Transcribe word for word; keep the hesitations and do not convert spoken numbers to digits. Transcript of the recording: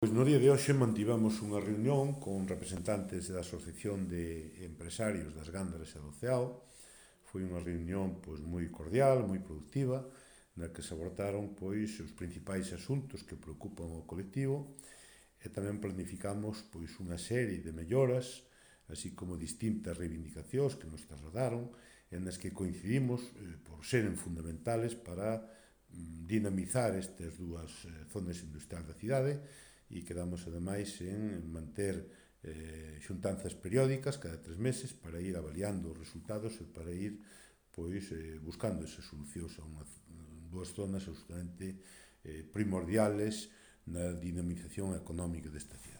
Pois no día de hoxe mantivemos unha reunión con representantes da Asociación de Empresarios das Gándaras e do Ceao. Foi unha reunión pois moi cordial, moi productiva, na que se abordaron pois os principais asuntos que preocupan ao colectivo e tamén planificamos pois unha serie de melloras, así como distintas reivindicacións que nos trasladaron en as que coincidimos eh, por seren fundamentales para mm, dinamizar estas dúas eh, zonas industriais da cidade, e quedamos ademais en manter eh, xuntanzas periódicas cada tres meses para ir avaliando os resultados e para ir pois eh, buscando esas solucións a unha, dúas zonas absolutamente eh, primordiales na dinamización económica desta cidade.